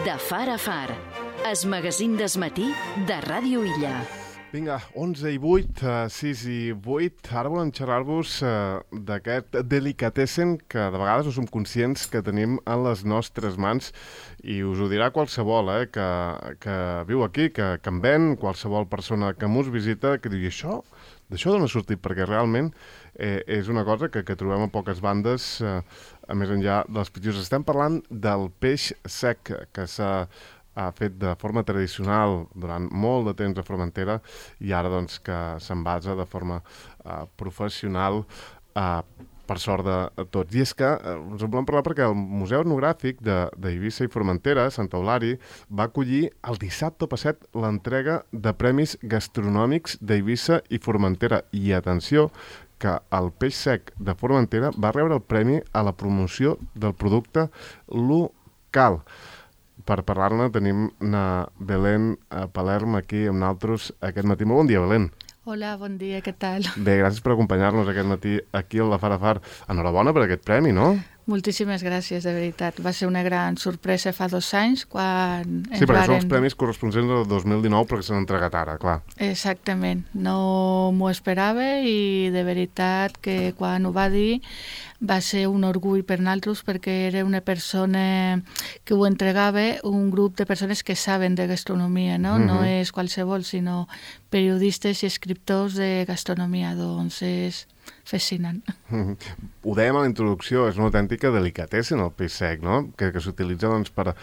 De far a far, es magazín d'esmatí de Ràdio Illa. Vinga, 11 i 8, 6 i 8. Ara volem xerrar-vos d'aquest delicatessen que de vegades no som conscients que tenim en les nostres mans i us ho dirà qualsevol que viu aquí, que en ven, qualsevol persona que mos visita, que diu, d'això d'on ha sortit? Perquè realment és una cosa que trobem a poques bandes, a més enllà dels pitjors. Estem parlant del peix sec, que s'ha fet de forma tradicional durant molt de temps a Formentera i ara doncs que s'envasa de forma professional per sort de tots. I és que us en volem parlar perquè el Museu Etnogràfic d'Eivissa i Formentera, Sant Eulari, va acollir el dissabte passat l'entrega de premis gastronòmics d'Eivissa i Formentera. I atenció, que el peix sec de Formentera va rebre el premi a la promoció del producte local. Per parlar-ne tenim Belén Palerm aquí amb nosaltres aquest matí. Molt bon dia, Belén. Hola, bon dia, què tal? Bé, gràcies per acompanyar-nos aquest matí aquí al Far a Far. Enhorabona per aquest premi, no? Moltíssimes gràcies, de veritat. Va ser una gran sorpresa fa 2 anys quan Sí, perquè són els premis corresponents del 2019 perquè s'han entregat ara, clar. Exactament. No m'ho esperava i de veritat que quan ho va dir va ser un orgull per nosaltres perquè era una persona que ho entregava, un grup de persones que saben de gastronomia, no? No és qualsevol, sinó periodistes i escriptors de gastronomia. Doncs és fascinant. Ho dèiem a la introducció, és una autèntica delicatessen el peix sec, no? Que s'utilitza doncs, per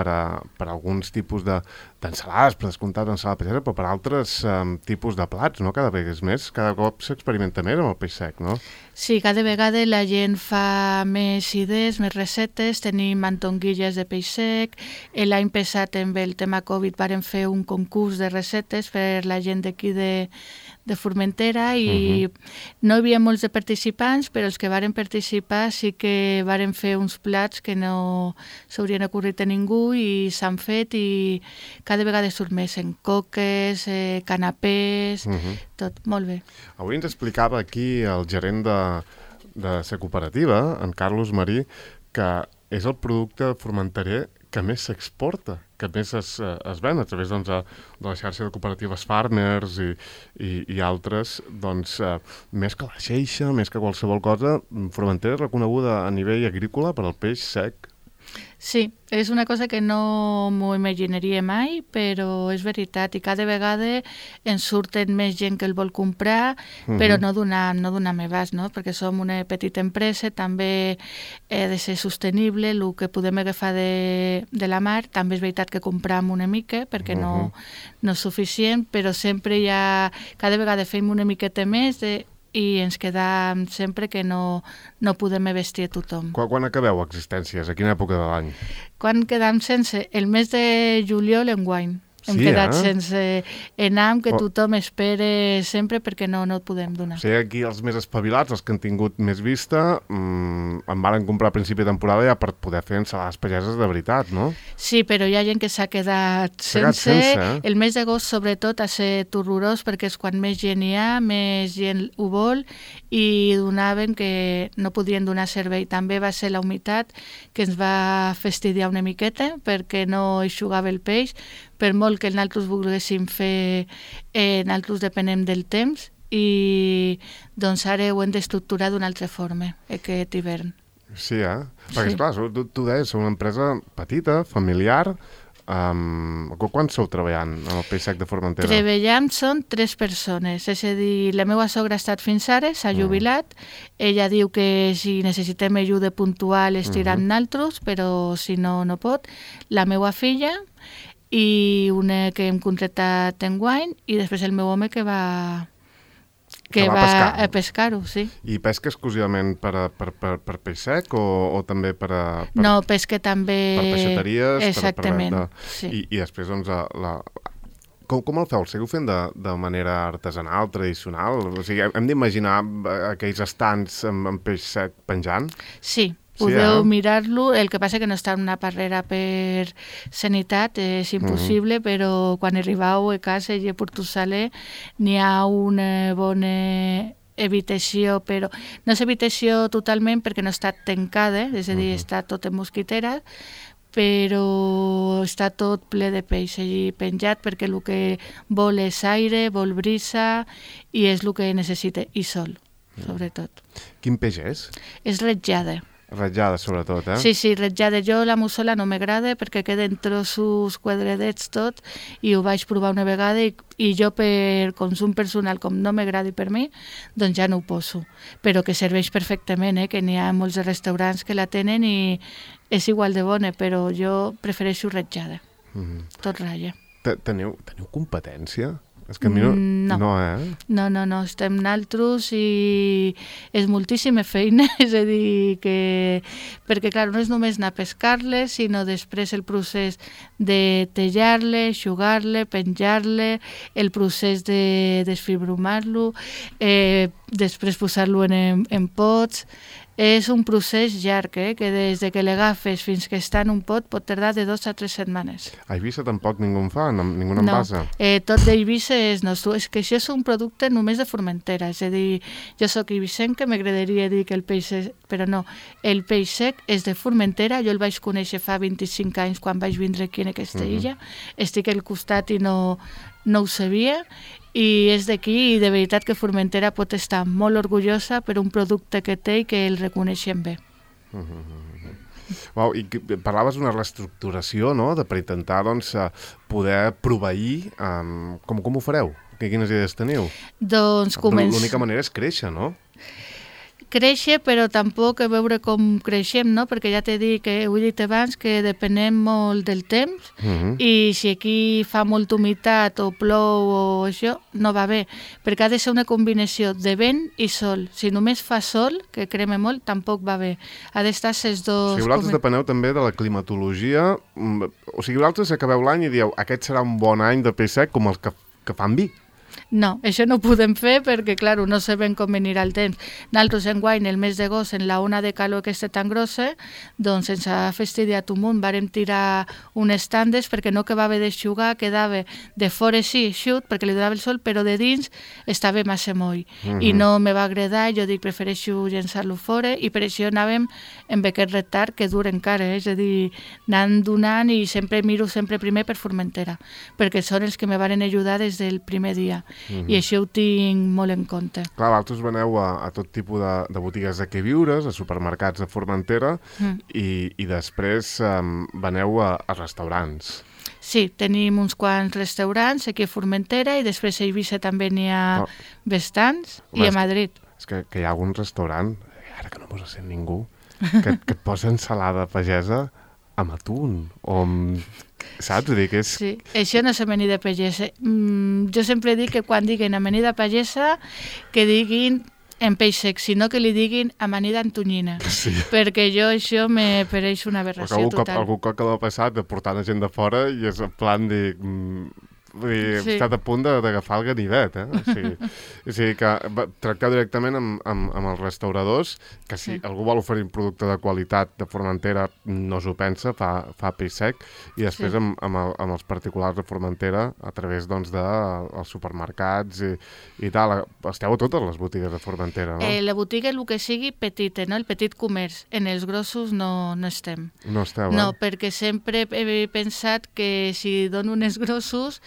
alguns tipus d'ensalades, per descomptat ensalada peixera, però per altres tipus de plats, no? Cada vegada és més, cada cop s'experimenta més amb el peix sec, no? Sí, cada vegada la gent fa més idees, més receptes, tenim mantonguilles de peix sec, l'any passat amb el tema Covid vàrem fer un concurs de receptes per la gent d'aquí de Formentera i no hi havia molts de participants, però els que varen participar sí que varen fer uns plats que no s'haurien ocorrit a ningú i s'han fet i cada vegada surt més en coques, canapés, tot, molt bé. Avui ens explicava aquí el gerent de la cooperativa, en Carlos Marí, que és el producte formenterer que més s'exporta, que més es ven a través doncs, de la xarxa de cooperatives Farmers i altres, doncs, més que la xeixa, més que qualsevol cosa, Formentera és reconeguda a nivell agrícola per al peix sec. Sí, és una cosa que no m'ho imaginaria mai, però és veritat, i cada vegada ens surten més gent que el vol comprar, però no donem abast, no? Perquè som una petita empresa, també he de ser sostenible, el que podem agafar de la mar, també és veritat que compram una mica, perquè no és suficient, però sempre cada vegada fem una miqueta més i ens quedam sempre que no podem vestir a tothom. Quan acabeu existències? A quina època de l'any? Quan quedam sense? El mes de juliol enguany. Hem quedat sense enam que tothom espera sempre perquè no et podem donar. O sigui, aquí els més espavilats, els que han tingut més vista, en varen comprar a principi de temporada ja per poder fer ensalades pageses de veritat, no? Sí, però hi ha gent que s'ha quedat sense. El mes d'agost, sobretot, ha estat horrorós perquè és quan més gent hi ha, més gent ho vol i donaven que no podien donar servei. També va ser la humitat que ens va fastidiar una miqueta perquè no eixugava el peix, per molt que nosaltres volguéssim fer, nosaltres depenem del temps i doncs ara ho hem d'estructurar d'una altra forma aquest hivern. Sí, perquè esclar, tu deies, sou una empresa petita, familiar. Quan sou treballant amb el peix sec de Formentera? Treballam són 3 persones, és a dir, la meva sogra ha estat fins ara, s'ha jubilat, ella diu que si necessitem ajuda puntual estirà amb nosaltres, però si no, no pot. La meva filla i una que hem contractat enguany i després el meu home que va a pescar-ho, sí. I pesca exclusivament per peix sec o també No, pesca també... Per peixateries? Exactament, sí. I després, doncs, com el feu? El seguiu fent de manera artesanal, tradicional? O sigui, hem d'imaginar aquells estants amb peix sec penjant? Sí. Podeu mirar-lo, el que passa que no està en una barrera per sanitat, és impossible, però quan arribeu a casa i a Portusaler n'hi ha una bona evitació, però no és evitació totalment perquè no està tancada, és a dir, està tot en mosquitera, però està tot ple de peix allí penjat perquè el que vol és aire, vol brisa i és el que necessita, i sol, sobretot. Quin peix és? És ratllada. Ratllada, sobretot, eh? Sí, ratllada. Jo la mussola no m'agrada perquè queden trossos quadradets tot i ho vaig provar una vegada i jo per consum personal, com no m'agradi per mi, doncs ja no ho poso. Però que serveix perfectament, que n'hi ha molts restaurants que la tenen i és igual de bona, però jo prefereixo ratllada. Tot ratlla. Teniu competència? És que a mi no, eh? No, estem naltros i és moltíssima feina, és a dir, que... perquè, clar, no és només anar a pescar-les, sinó després el procés de tallar-le, eixugar-le, penjar-le, el procés de desfibrumar-lo, després posar-lo en pots. És un procés llarg, que des de que l'agafes fins que està en un pot pot tardar de 2 a 3 setmanes. A Eivissa tampoc ningú en fa, ningú n'envasa? No, tot d'Eivissa és nostre. És que això és un producte només de Formentera, és a dir, jo soc eivissenca, m'agradaria dir que el peix és... però no, el peix sec és de Formentera, jo el vaig conèixer fa 25 anys quan vaig vindre aquí en aquesta illa, estic al costat i no ho sabia, i és d'aquí i de veritat que Formentera pot estar molt orgullosa per un producte que té i que el reconeixem bé. Wow, i parlaves d'una reestructuració, no?, per intentar doncs, poder proveir. Com ho fareu? Quines idees teniu? Doncs l'única manera és créixer, no? Créixer, però tampoc a veure com creixem, no? Perquè ja t'he dit que ho he dit abans que depenem molt del temps i si aquí fa molta humitat o plou o això, no va bé, perquè ha de ser una combinació de vent i sol. Si només fa sol, que crema molt, tampoc va bé. Ha d'estar ses dos... O sigui, vosaltres depeneu també de la climatologia, o sigui, vosaltres acabeu l'any i dieu aquest serà un bon any de peix sec com els que fan vi. No, això no ho podem fer perquè, clar, no sabem com venirà el temps. Nosaltres enguany, el mes d'agost, en la ona de calor aquesta tan grossa, doncs ens ha fastidiat un munt. Vàrem tirar unes tandes perquè no acabava d'eixugar, quedava de fora sí, eixut, perquè li donava el sol, però de dins estava massa moll. I no me va agradar, jo dic, prefereixo llençar-lo fora, i per això anàvem amb aquest retard que dura encara, és a dir, anant donant i sempre miro primer per Formentera, perquè són els que me van ajudar des del primer dia. I això ho tinc molt en compte. Clar, vosaltres veneu a tot tipus de botigues de queviures, a supermercats de Formentera i després veneu a restaurants. Sí, tenim uns quants restaurants aquí a Formentera i després a Eivissa també n'hi ha bastants i a Madrid. És que hi ha algun restaurant, ara que no mos sent ningú, que et posa ensalada pagesa amb atún o amb... Saps? Dic, és... Sí, això no és amanida pagesa. Jo sempre dic que quan diguin amanida pagesa, que diguin en peix sec, sinó que li diguin amanida en tonyina. Sí. Perquè això me pareix una aberració total. Algun cop que l'ha passat de portar la gent de fora i és en plan de... He estat a punt d'agafar el ganivet, O sigui que tracteu directament amb els restauradors, que si algú vol oferir un producte de qualitat de Formentera no s'ho pensa, fa peix sec, i després amb els particulars de Formentera a través dels supermercats i tal. Esteu a totes les botigues de Formentera, no? La botiga, el que sigui petita, no? El petit comerç. En els grossos no estem. No esteu, No, perquè sempre he pensat que si dono uns grossos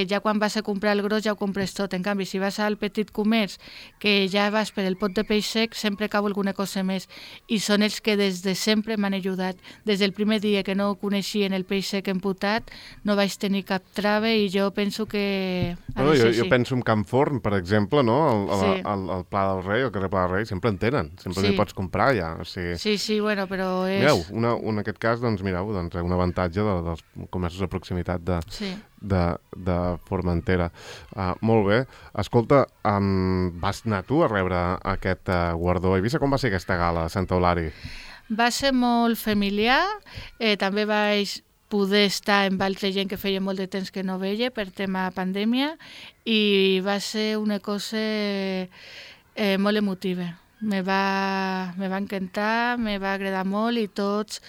ja quan vas a comprar el gros ja ho compres tot. En canvi, si vas al petit comerç, que ja vas per el pot de peix sec, sempre cau alguna cosa més. I són els que des de sempre m'han ajudat. Des del primer dia que no coneixien el peix sec emputat, no vaig tenir cap trava i jo penso que ha de ser així. Jo penso en Can Forn, per exemple, no? El Pla del Rei, el carrer Pla del Rei, sempre en tenen. Sempre li pots comprar ja. O sigui... Sí, bueno, però és... Mireu, en aquest cas, doncs, un avantatge dels comerços de proximitat de Formentera. Molt bé. Escolta, vas anar tu a rebre aquest guardó a Eivissa? Com va ser aquesta gala a Santa Eulària? Va ser molt familiar. També vaig poder estar amb altra gent que feia molt de temps que no veia per tema pandèmia i va ser una cosa molt emotiva. me va encantar, me va agradar molt i tots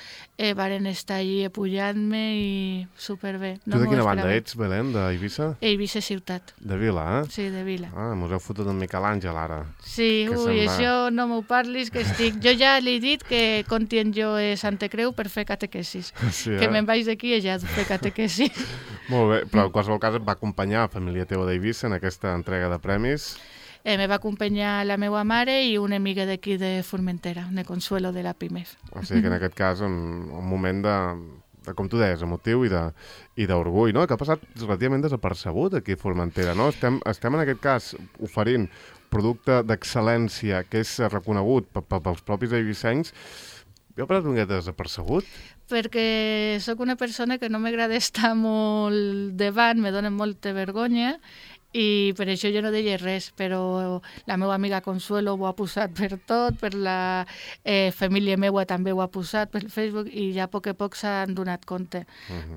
varen estar allí apujant-me i superbé. Tu de quina banda ets, Belén, d'Eivissa? Eivissa ciutat. De Vila, eh? Sí, de Vila. Ah, mos heu fotut en Miquel Àngel, ara. Sí, això no m'ho parlis, que estic... Jo ja li he dit que contient jo a Santa Creu per fer catequesis. Sí, que me'n vaig d'aquí i ja fer catequesis. Molt bé, però en qualsevol cas et va acompanyar la família teva d'Eivissa en aquesta entrega de premis. Me va acompanyar la meva mare i una amiga d'aquí de Formentera, de Consuelo de la PIMEF. O sigui que en aquest cas un moment de com tu deies, emotiu i d'orgull, no? Que ha passat relativament desapercebut aquí a Formentera, no? Estem en aquest cas oferint producte d'excel·lència que és reconegut pels propis eivissencs. Jo he passat un miqueta desapercebut. Perquè sóc una persona que no m'agrada estar molt davant, me dona molta vergonya, i per això jo no deia res, però la meva amiga Consuelo ho ha posat per tot, per la família meva també ho ha posat per Facebook i ja a poc a poc s'han donat compte.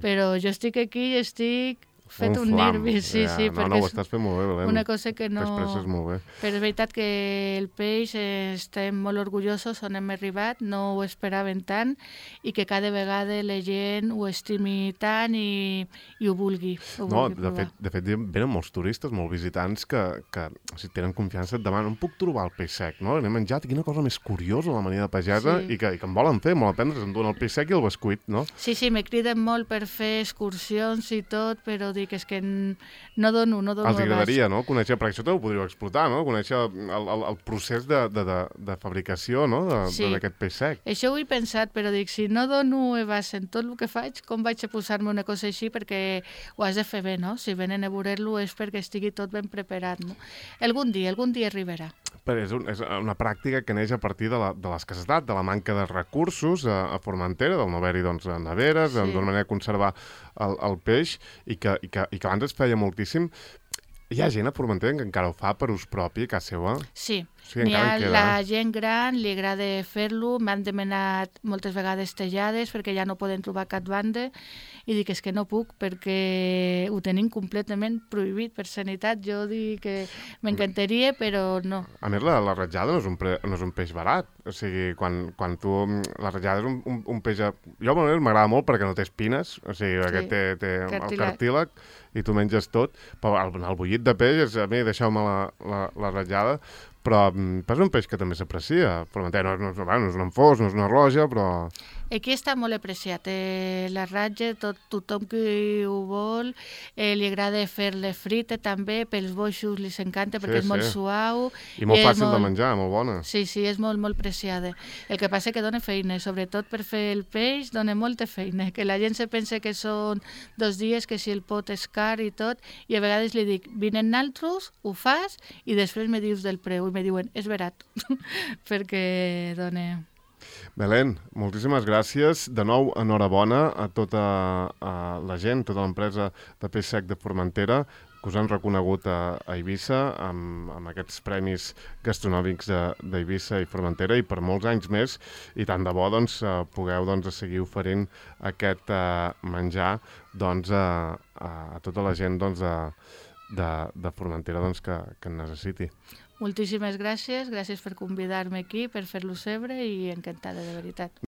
Però jo estic aquí i estic fet un nervi, sí, perquè no, ho estàs fent molt bé, Belén. Una cosa que no... T'expresses molt bé. Però és veritat que el peix estem molt orgullosos on hem arribat, no ho esperaven tant i que cada vegada la gent ho estimi tant i ho vulgui. De fet, venen molts turistes, molts visitants que si tenen confiança et demanen on puc trobar el peix sec, no? L'he menjat, quina cosa més curiosa la mania de pagesa i que em volen fer, molt aprendre, em donen el peix sec i el bescuit, no? Sí, me criden molt per fer excursions i tot, però dic, és que no dono Els agradaria, no? Conèixer, perquè això també ho podríeu explotar, no? Conèixer el procés de fabricació, no? D'aquest peix sec. Això ho he pensat, però dic, si no dono abast en tot el que faig, com vaig a posar-me una cosa així? Perquè ho has de fer bé, no? Si venen a veure-lo és perquè estigui tot ben preparat, no? Algun dia arribarà. Però és una pràctica que neix a partir de l'escassetat, de la manca de recursos a Formentera, del no haver-hi neveres, d'una manera de conservar el peix, i que abans es feia moltíssim. Hi ha gent a Formentera que encara ho fa per ús propi, a casa seva? Sí, n'hi ha la gent gran, li agrada fer-lo, m'han demanat moltes vegades tallades perquè ja no poden trobar cap banda i dic és que no puc perquè ho tenim completament prohibit per sanitat. Jo dic que m'encantaria, però no. A més, la ratjada no és un peix barat. O sigui, quan tu... La ratjada és un peix... Jo m'agrada molt perquè no té espines, o sigui, perquè té el cartílag i tu menges tot. Però el bullit de peix, a mi deixeu-me la ratjada, però és un peix que també s'aprecia. Formentera no és un enfós, no és una roja, però... Aquí està molt apreciat. La ratlla, tothom que ho vol, li agrada fer-la frita també, pels boixos li s'encanta perquè és molt suau. I molt fàcil de menjar, molt bona. Sí, és molt, molt preciada. El que passa que dona feina, sobretot per fer el peix, dona molta feina, que la gent se pensa que són 2 dies, que si el pot és car i tot, i a vegades li dic, vinen naltros, ho fas, i després me dius del preu, i me diuen, és barat, perquè dona... Belén, moltíssimes gràcies. De nou, enhorabona a tota la gent, tota l'empresa de peix sec de Formentera, que us han reconegut a Eivissa amb aquests premis gastronòmics d'Eivissa i Formentera i per molts anys més, i tant de bo pugueu seguir oferint aquest menjar a tota la gent de Formentera que en necessiti. Moltíssimes gràcies per convidar-me aquí, per fer-lo sebre i encantada, de veritat.